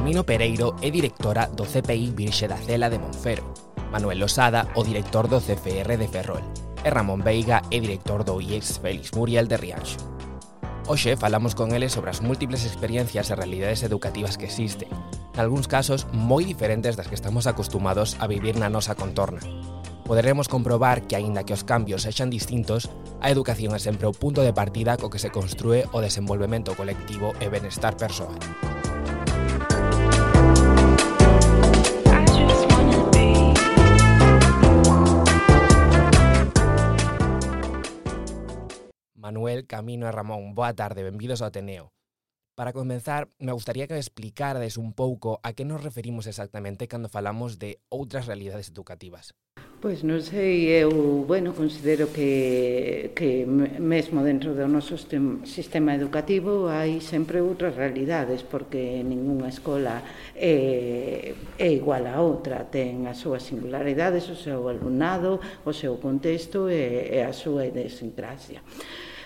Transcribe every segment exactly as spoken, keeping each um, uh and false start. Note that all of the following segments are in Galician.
Camino Pereiro é directora do C P I Virxe da Cela de Monfero, Manuel Losada, o director do C F R de Ferrol, e Ramón Veiga é director do I E S Félix Muriel de Rianxo. Hoxe falamos con eles sobre as múltiples experiencias e realidades educativas que existen, nalgúns casos moi diferentes das que estamos acostumados a vivir na nosa contorna. Poderemos comprobar que, aínda que os cambios sexan distintos, a educación é sempre o punto de partida co que se construe o desenvolvemento colectivo e benestar persoal. Manuel, Camino e Ramón, boa tarde, benvidos ao Ateneo. Para comenzar, me gustaría que me explicarades un pouco a que nos referimos exactamente cando falamos de outras realidades educativas. Pois non sei, eu, bueno, considero que, que mesmo dentro do noso sistema educativo hai sempre outras realidades, porque ningunha escola é, é igual a outra, ten as súas singularidades, o seu alumnado, o seu contexto e, e a súa idiosincrasia.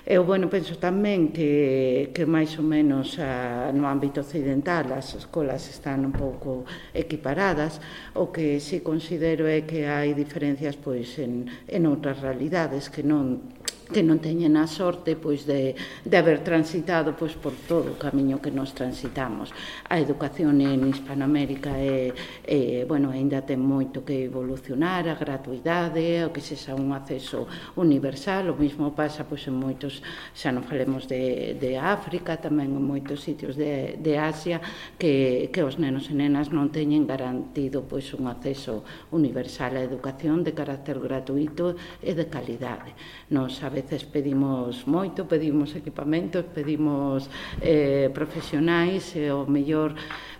Eu, bueno, penso tamén que, que máis ou menos a, no ámbito occidental as escolas están un pouco equiparadas. O que si considero é que hai diferencias pois en, en outras realidades que non que non teñen a sorte pois de, de haber transitado pois por todo o camiño que nos transitamos. A educación en Hispanoamérica é, é bueno, aínda ten moito que evolucionar, a gratuidade, o que sexa un acceso universal, o mesmo pasa pois en moitos, xa non falemos de, de África, tamén en moitos sitios de, de Asia, que, que os nenos e nenas non teñen garantido pois un acceso universal á educación de carácter gratuito e de calidade. Nos a veces pedimos moito, pedimos equipamentos, pedimos eh, profesionais e o mellor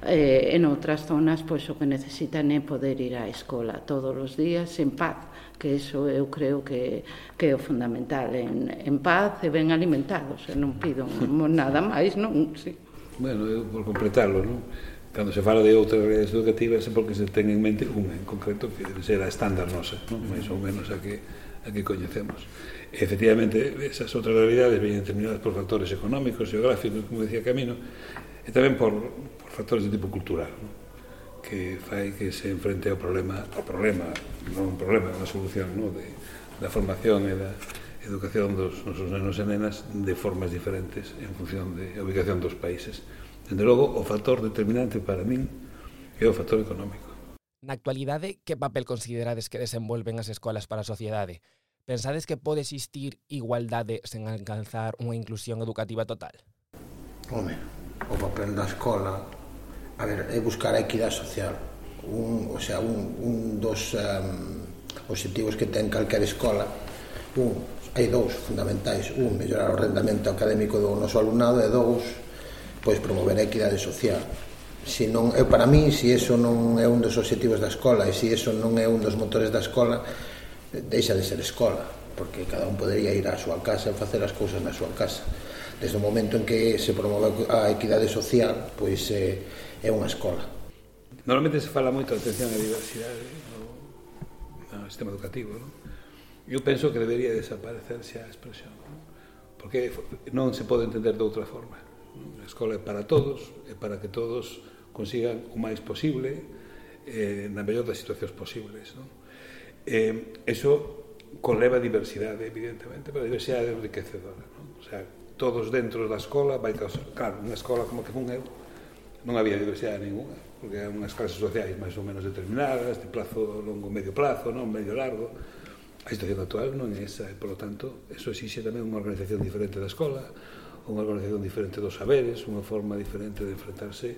eh, en outras zonas pois o que necesitan é poder ir á escola todos os días en paz, que iso eu creo que, que é o fundamental, en, en paz e ben alimentados, e non pido nada máis, non? Sí. Bueno, eu por completarlo, non? Cando se fala de outras redes educativas é porque se ten en mente unha en concreto que debe ser a estándar nosa, non? Mais ou menos a que, a que coñecemos. E, efectivamente, esas outras realidades veñen determinadas por factores económicos, geográficos, como decía Camino, e tamén por, por factores de tipo cultural, non? Que fai que se enfrente ao problema, ao problema, non un problema, unha solución, non? De, da formación e da educación dos nosos nenos e nenas de formas diferentes en función da ubicación dos países. Dende logo, o factor determinante para min é o factor económico. Na actualidade, que papel considerades que desenvolven as escolas para a sociedade? Pensades que pode existir igualdade sen alcanzar unha inclusión educativa total? Home, o papel da escola, a ver, é buscar a equidade social. Un, o sea, un, un dos um, obxectivos que ten calquera escola, un, hai dous fundamentais, un, mellorar o rendamento académico do noso alumnado, e dous, pois promover a equidade social. Si non, eu, para mí, se iso non é un dos obxectivos da escola e se iso non é un dos motores da escola, deixa de ser escola, porque cada un podería ir á súa casa e facer as cousas na súa casa. Desde o momento en que se promove a equidade social, pois é, é unha escola. Normalmente se fala moito de atención á diversidade no, no sistema educativo, non? Eu penso que debería desaparecerse a expresión, non? Porque non se pode entender de outra forma. A escola é para todos, é para que todos consigan o máis posible eh, na mellor das situacións posibles, non? Eh, eso conleva diversidade, evidentemente, pero a diversidade é enriquecedora, non? O sea, todos dentro da escola vai causar, claro, unha escola como que fun eu non había diversidade ninguna, porque eran unhas clases sociais máis ou menos determinadas, de plazo longo, medio plazo, non medio largo. A situación actual non é esa, e, por lo tanto, eso exixe tamén unha organización diferente da escola, unha organización diferente dos saberes, unha forma diferente de enfrentarse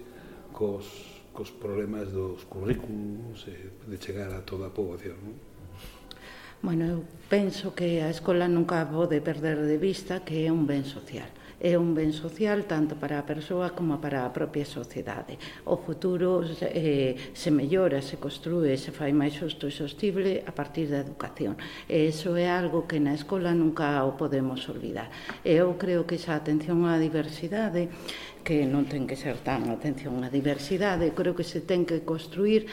cos, cos problemas dos currículos e de chegar a toda a poboación, non? Bueno, eu penso que a escola nunca pode perder de vista que é un ben social. É un ben social tanto para a persoa como para a propia sociedade. O futuro eh, se mellora, se construe, se fai máis xusto e sostible a partir da educación. E iso é algo que na escola nunca o podemos olvidar. E eu creo que esa atención á diversidade, que non ten que ser tan atención á diversidade, creo que se ten que construir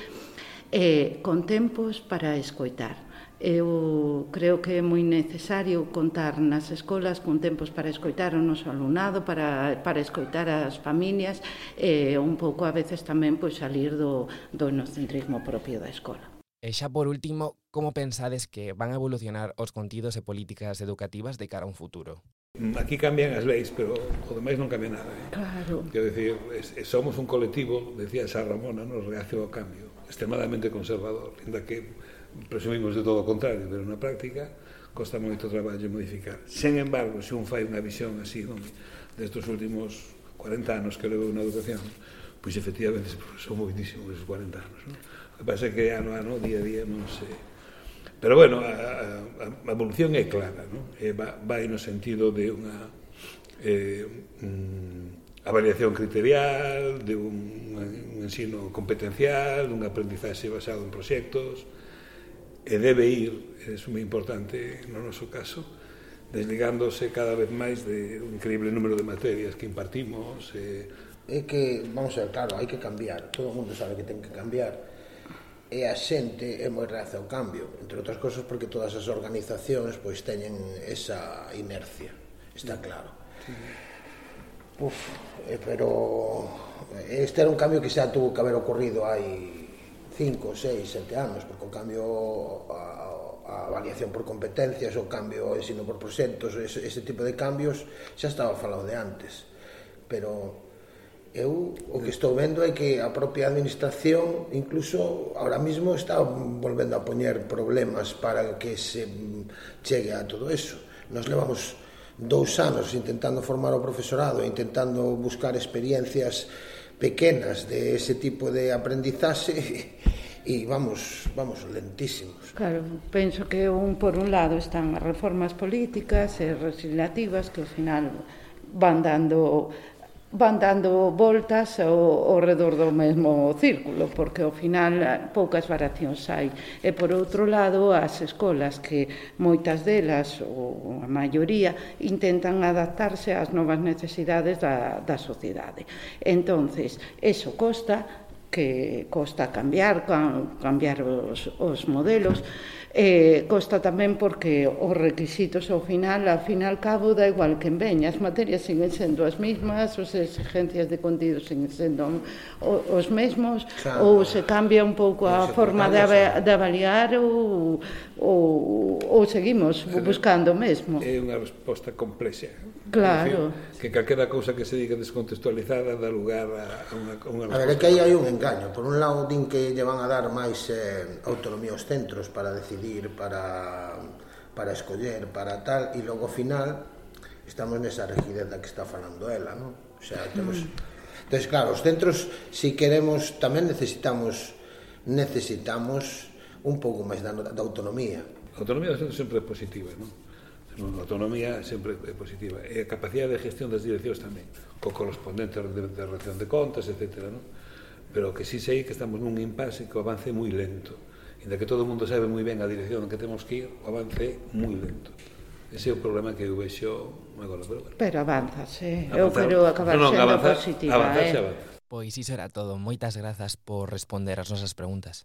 eh, con tempos para escoitar. Eu creo que é moi necesario contar nas escolas con tempos para escoitar o noso alumnado, para, para escoitar as familias e un pouco a veces tamén pois, salir do, do etnocentrismo propio da escola. E xa por último, como pensades que van a evolucionar os contidos e políticas educativas de cara a un futuro? Aquí cambian as leis, pero o demais non cambia nada. Eh? Claro. Quero dicir, somos un colectivo, decía San Ramona, nos reacio ao cambio, extremadamente conservador, ainda que presumimos de todo o contrario, pero na práctica costa moito traballo modificar. Sen embargo, se un fai unha visión así, non, destes últimos cuarenta anos que levou na educación, pois efectivamente son moitísimos esos cuarenta anos. Non? O que pasa é que ano a ano, día a día, non se... Pero, bueno, a, a, a evolución é clara, non? E va, vai no sentido de unha eh, mm, avaliación criterial, de un, un ensino competencial, dun aprendizaxe basado en proxectos, e debe ir, é moi importante no noso caso, desligándose cada vez máis de un increíble número de materias que impartimos. Eh... É que, vamos a ver, claro, hai que cambiar, todo o mundo sabe que ten que cambiar, e a xente é moi reacia ao cambio, entre outras cosas porque todas as organizacións pois teñen esa inercia, está claro. Uf, eh, pero este era un cambio que xa tuvo que haber ocorrido hai cinco, seis, sete anos, porque o cambio a, a avaliación por competencias, o cambio ao ensino por proxectos, ese, ese tipo de cambios xa estaba falado de antes, pero eu o que estou vendo é que a propia administración incluso ahora mismo está volvendo a poñer problemas para que se chegue a todo eso. Nos levamos dous anos intentando formar o profesorado, intentando buscar experiencias pequenas de ese tipo de aprendizaxe e vamos, vamos lentísimos. Claro, penso que un por un lado están as reformas políticas e legislativas que ao final van dando van dando voltas ao, ao redor do mesmo círculo, porque ao final poucas variacións hai. E por outro lado, as escolas que moitas delas, ou a maioría, intentan adaptarse ás novas necesidades da, da sociedade. Entonces, eso costa, que costa cambiar, cambiar os, os modelos, Eh, costa tamén porque os requisitos ao final, ao final cabo, da igual que veña, as materias siguen sendo as mesmas, as exigencias de contido siguen sendo os mesmos, claro, ou se cambia un pouco a forma de, de avaliar ou, ou, ou seguimos buscando o mesmo. É unha resposta complexa. Claro. Decir, que calquera cousa que se diga descontextualizada dá lugar a unha, a unha resposta. A ver, é que aí hai un engaño. Por un lado, din que lle van a dar máis eh, autonomía aos centros para decidir, para, para escoller, para tal, e logo ao final estamos nesa rigidez da que está falando ela, non? O sea, temos... Mm. Entón, claro, os centros, si queremos, tamén necesitamos necesitamos un pouco máis da, da autonomía. A autonomía dos centros sempre é positiva, non? A autonomía sempre é positiva, e a capacidade de gestión das direccións tamén, co correspondente de, de rendición de contas, etcétera, non? Pero que sí sei que estamos nun impasse que o avance é moi lento, inda que todo o mundo sabe moi ben a dirección en que temos que ir, o avance é moi lento. Ese é o problema que eu vexo agora, pero bueno. Pero avanzase, eu quero acabar no, no, sendo avanzar, positiva, avanzar, eh? Avanza. Pois iso era todo, moitas grazas por responder as nosas preguntas.